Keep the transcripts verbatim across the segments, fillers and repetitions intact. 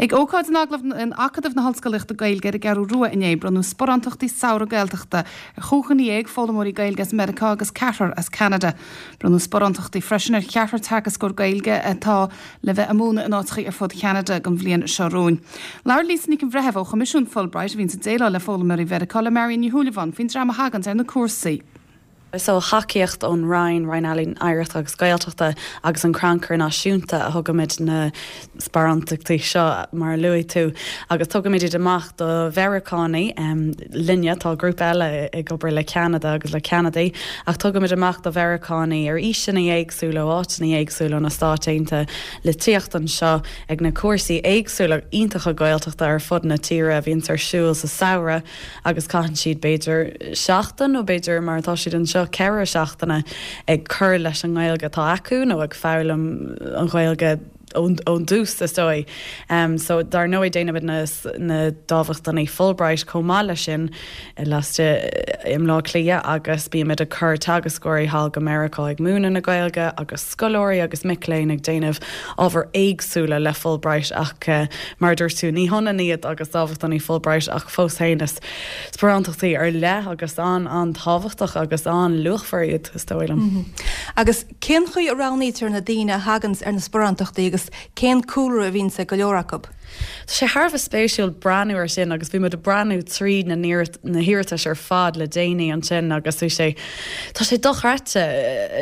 Ag ócáid in Agallamh in Acadamh na hOllscolaíochta Gaeilge ar an gCeathrú Rua inné bronnadh sparántachtaí samhradh Gaeltachta ar chúig dhuine dhéag foghlaimeoirí Gaeilge as Meiriceá agus ceathrar as Ceanada. Bronnadh sparántachtaí freisin ar cheathrar teagascóir Gaeilge atá le bheith ag múineadh in áiteacha ar fud Cheanada don bhliain seo romhainn. Labhair Lisa Nic an Bhreithimh ó Choimisiún Fulbright a bhíonn ag déileáil le foghlaimeoirí Mheiriceá le Marion Ní Shúilleabháin faoin dream a thagann ar na cúrsaí. So tacaíocht ón Roinn Roinn Ealaíon Oidhreachta agus Gaeltachta agus an Crannchur Náisiúnta a thugaimid na sparántachtaí seo mar a luaigh tú agus tugaimid iad amach do Mheiriceánaigh um, linne tá grúpa eile ag obair le Ceanada agus le Ceanadaigh ach tugaimid amach do Mheiriceánaigh ar aoiseanna éagsúla áiteanna éagsúla na Stáit Aontaithe le tíocht anseo ag na cúrsaí éagsúla iontacha Gaeltachta ar fud na tíre a bhíonn ar siúl sa samhradh agus caitheann siad b'fhéidir seachtain nó b'fhéidir mar atá siad anseo ceithre seachtaine ag cur leis an nGaeilge atá acu nó ag foghlaim an Ghaeilge ón dtús is dóigh. Um, so dar ndóigh déanaimid na, na dámhachtainí Fulbright chomh maith leis sin laistigh i mBleá Cliath agus bímid ag cur teagascóirí thall go Meiriceá ag múineadh na Gaeilge agus scoláirí agus mic léinn ag déanamh ábhar éagsúla le Fulbright ach uh, mar dúirt tú ní hionann iad agus dámhachtainí Fulbright ach fós féin is sparántachtaí ar leith agus an an-tábhachtach agus an-luachmhar iad is dóigh liom. Mm -hmm. Agus cén chaoi a roghnaítear na daoine a thagann ar na sparántachtaí agus cén cúlra a bhíonn ag go leor acu. Tá sé thar a bheith spéisiúil breathnú ar sin agus bhí muid ag breathnú trí na na hiarratais ar fad le déanaí ansin agus bhí sé Tá sé dochreidte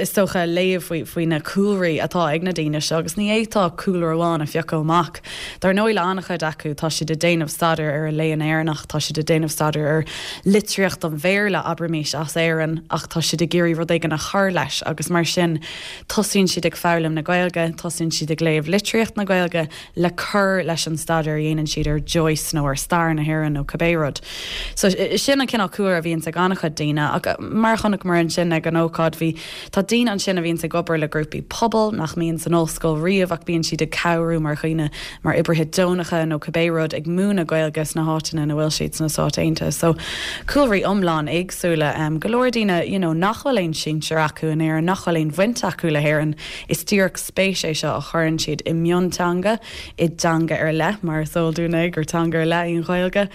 is dócha léamh faoi faoi na cúlraí atá ag na daoine seo agus ní fhéadfá cúlra amháin a phiocadh amach. Dar ndóigh le an-chuid acu tá siad ag déanamh staidéar ar an léann Éireannach, tá siad ag déanamh staidéar ar litríocht an Bhéarla abraimis as Éirinn ach tá siad ag iarraidh rud éigin a chur leis agus mar sin tosaíonn siad ag foghlaim na Gaeilge, tosaíonn siad ag léamh litríocht na Gaeilge le cur leis an staidéar a dhéanann siad ar Joyce nó ar stair na hÉireann nó cibé rud. So sin an cineál cúlra a bhíonn ag an-chuid daoine ach mar chonaic mar ansin ag an ócáid bhí tá daoine ansin a bhíonn ag obair le grúpaí pobail nach mbíonn san ollscoil riamh ach bíonn siad ag cabhrú mar dhaoine mar oibrithe deonacha nó cibé rud ag múineadh Gaeilge sna háiteanna ina bhfuil siad sna Stáit Aontaithe. So cúlraí iomlán éagsúla um, go leor daoine you know, nach bhfuil aon sinsir acu in Éirinn, nach bhfuil aon bhaint acu le hÉirinn is díreach spéis é seo a chuireann siad i mionteanga i dteanga ar leith mar is eol dúinn gur teanga ar leith í an Ghaeilge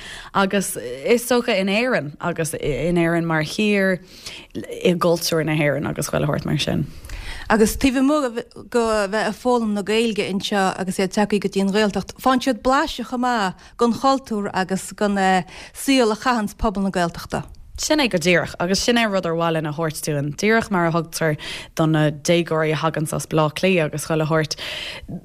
agus is dócha in Éirinn agus in Éirinn mar thír i gcultúr na hÉireann agus chuile shórt mar sin. Agus taobh amuigh de bheith ag foghlaim na Gaeilge anseo agus iad tagtha go dtí an Ghaeltacht, faigheann siad blaiseadh chomh maith den chultúr agus den saol a chaitheanns pobal na Gaeltachta. Sin é go díreach agus sin é rud ar mhaith linn a thabhairt dúinn díreach mar a thugtar do na déagóirí a thagann as Bleá Cliath agus chuile shórt.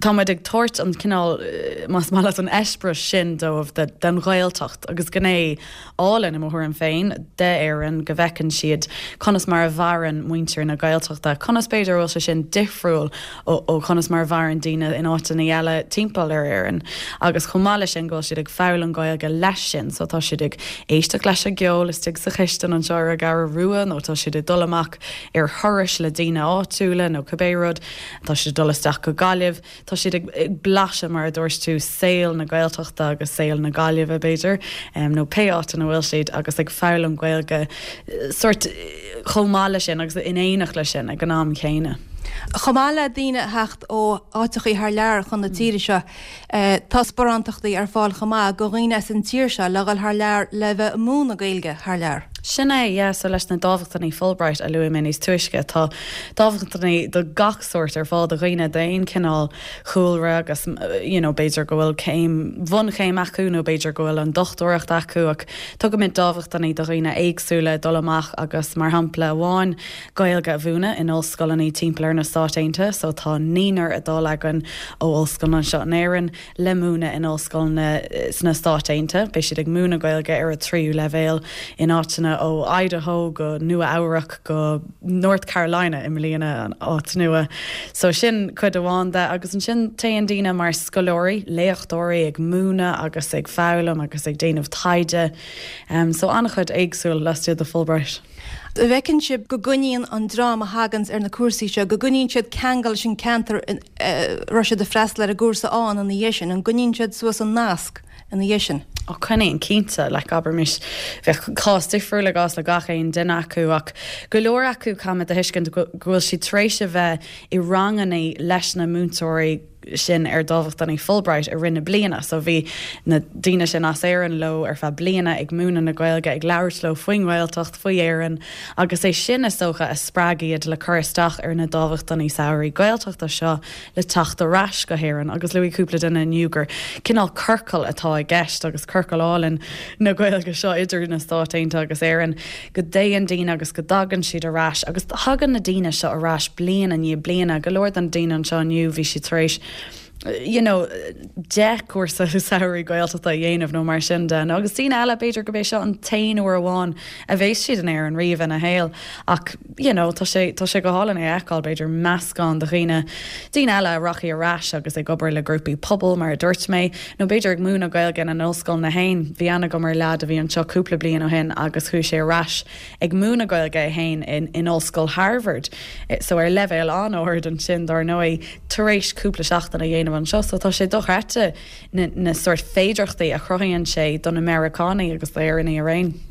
Táimid ag tabhairt an cineál más maith leat an eispéireas sin dóibh den Ghaeltacht agus gné álainn i mo thuairim féin d'Éirinn go bhfeiceann siad conas mar a mhaireann muintir na Gaeltachta, conas b'fhéidir bhfuil sé sin difriúil ó, ó conas mar a mhaireann daoine in áiteanna eile timpeall ar Éirinn. Agus chomh maith leis sin go bhfuil siad ag foghlaim Gaeilge leis sin, so tá siad ag éisteacht leis an gceol istigh sa chistin anseo ar an gCeathrú Rua nó tá siad ag dul amach ar thurais le daoine áitiúla nó cibé rud, tá siad ag dul isteach go Gaillimh, tá siad ag, ag blaiseadh mar a dúirt tú saol na Gaeltachta agus saol na Gaillimhe b'fhéidir, um, nó pé áit ina bhfuil siad agus ag foghlaim Gaeilge sort chomh maith leis sin agus in éineacht leis sin ag an am céanna. Chomh maith le daoine a theacht ó áiteachaí thar lear chun na tíre seo, tá sparántachtaí ar fáil chomh maith do dhaoine as an tír seo le dhul thar lear le bheith ag múineadh Gaeilge thar lear. Sin é, yeah, so leis na dámhachtainí Fulbright a luaigh mé níos túisce tá dámhachtainí do gach sórt ar fáil do dhaoine d'aon cineál chúlra agus you know, b'fhéidir go bhfuil céim bhunchéim acu nó b'fhéidir go bhfuil an dochtúireacht acu ach tugaimid dámhachtainí do dhaoine éagsúla dul amach agus mar shampla amháin Gaeilge a mhúineadh in ollscoileanna timpeall ar na Stáit Aontaithe, so tá naonúr ag dul againn ó ollscoil anseo in Éirinn le múineadh in ollscoileanna sna Stáit Aontaithe. Beidh siad ag múineadh Gaeilge ar a tríú leibhéal in áiteanna ó Idaho go Nua Eabhrac go North Carolina i mbliana an áit nua. So sin cuid amháin de agus ansin téann daoine mar scoláirí, léachtóirí ag múineadh agus ag foghlaim agus ag déanamh taighde. Um, so an-chuid éagsúil laistigh de Fulbright. An bhfeiceann sibh go gcoinníonn an dream a thaganns ar na cúrsaí seo, go gcoinníonn siad ceangal leis an ceantar a raibh siad ag freastal ar an gcúrsa ann ina dhiaidh sin, an gcoinníonn siad suas an nasc ina dhiaidh sin? Ó coinníonn cinnte like abraimis bheadh cás difriúil i gcás le gach aon duine acu ach go leor acu caithfimid a thuiscint go bhfuil siad tar éis a bheith i ranganna leis na múinteoirí sin ar dámhachtainí Fulbright i rith na bliana so bhí na daoine sin as Éirinn leo ar feadh bliana ag múineadh na Gaeilge ag labhairt leo faoin nGaeltacht faoi Éirinn agus é sin is dócha a spreag iad le cur isteach ar na dámhachtainí samhraidh Gaeltachta seo le teacht ar ais go hÉirinn agus luaigh cúpla duine inniu gur cineál ciorcal atá i gceist agus ciorcal álainn na Gaeilge seo idir na Stáit Aontaithe agus Éirinn go dtéann daoine agus go dtagann siad ar ais agus tagann na daoine seo ar ais bliain i ndiaidh bliana go leor den daoine anseo inniu bhí siad tar éis you know, deich cúrsa samhraidh Gaeltachta a dhéanamh nó mar sin de. Agus daoine eile b'fhéidir go b'é seo an t-aon uair amháin a bheas siad in Éirinn riamh ina shaol ach you know, tá sé tá sé go hálainn é a fheiceáil b'fhéidir meascán de dhaoine daoine eile a rachaidh ar ais agus ag obair le grúpaí pobail mar a dúirt mé, nó b'fhéidir ag múineadh Gaeilge ina n-ollscoileanna féin. Bhí aithne agam ar leaid a bhí anseo cúpla bliain ó shin agus chuaigh sé ar ais ag múineadh Gaeilge é féin in, in Ollscoil Harvard. So ar leibhéal an-ard ansin dar ndóigh tar éis cúpla seachtain a dhéanamh anseo, so tá sé dochreidte na, na sórt féidearthachtaí a chruthaíonn sé do na Meiriceánaigh agus d'Éireannaigh araon.